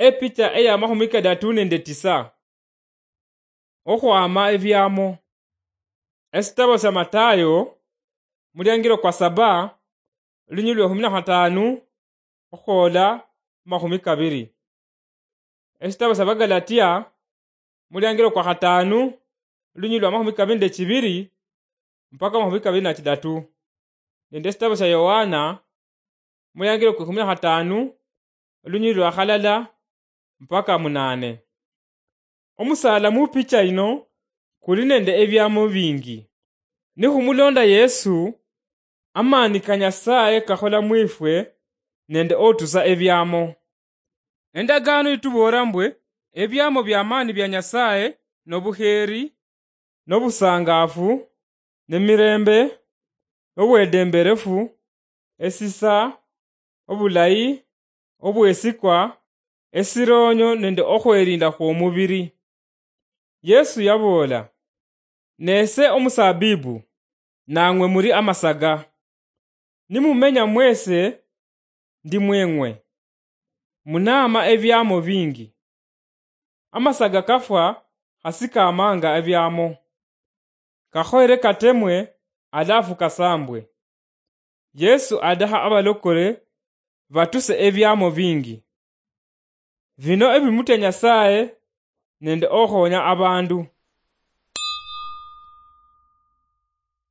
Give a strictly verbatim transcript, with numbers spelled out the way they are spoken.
Epicha eya mahumi kadatu nende tisa. Okhwama ebiamo. Esitabo sya Matayo, muliangiro kwa saba, lunyililo lwa ekhumi na khatanu okhwola mahumi kabiri. Esitabo sya Bagalatia, muliangiro kwa khatanu, lunyililo lwa mahumi kabiri nende chibiri mpaka mahumi kabiri na chidatu. Nende esitabo sya Yohana, muliangiro kwa ekhumi na khatanu, lunyililo lwa khalala mpaka munane. Omusaala mu picha yino kuli nende ebiamo bingi. Nikhumulonda Yesu, amaani ka Nyasaye kakhola mwifwe nende otusa ebiamo. Endagaano yituboola mbwe ebiamo bya maani bya Nyasaye nobukheeri, nobusangaafu, nemirembe, obwedemberefu, esisa, obulayi, obwesikwa, esiroonyo nende okhwerinda khwomubiri. Yesu yaboola, "Nese omusabibu, nang'we muri amasaga. Nimumenya mwese ndi mweng'we, munaama ebiamo bingi. Amasaga kafwa khasi kaamanga ebiamo. Kakhoyere katemwe, alafu kasambwe." Yesu adakha abalokole batuse ebiamo bingi. Bino ebimutya Nyasaye nende okhonya abandu.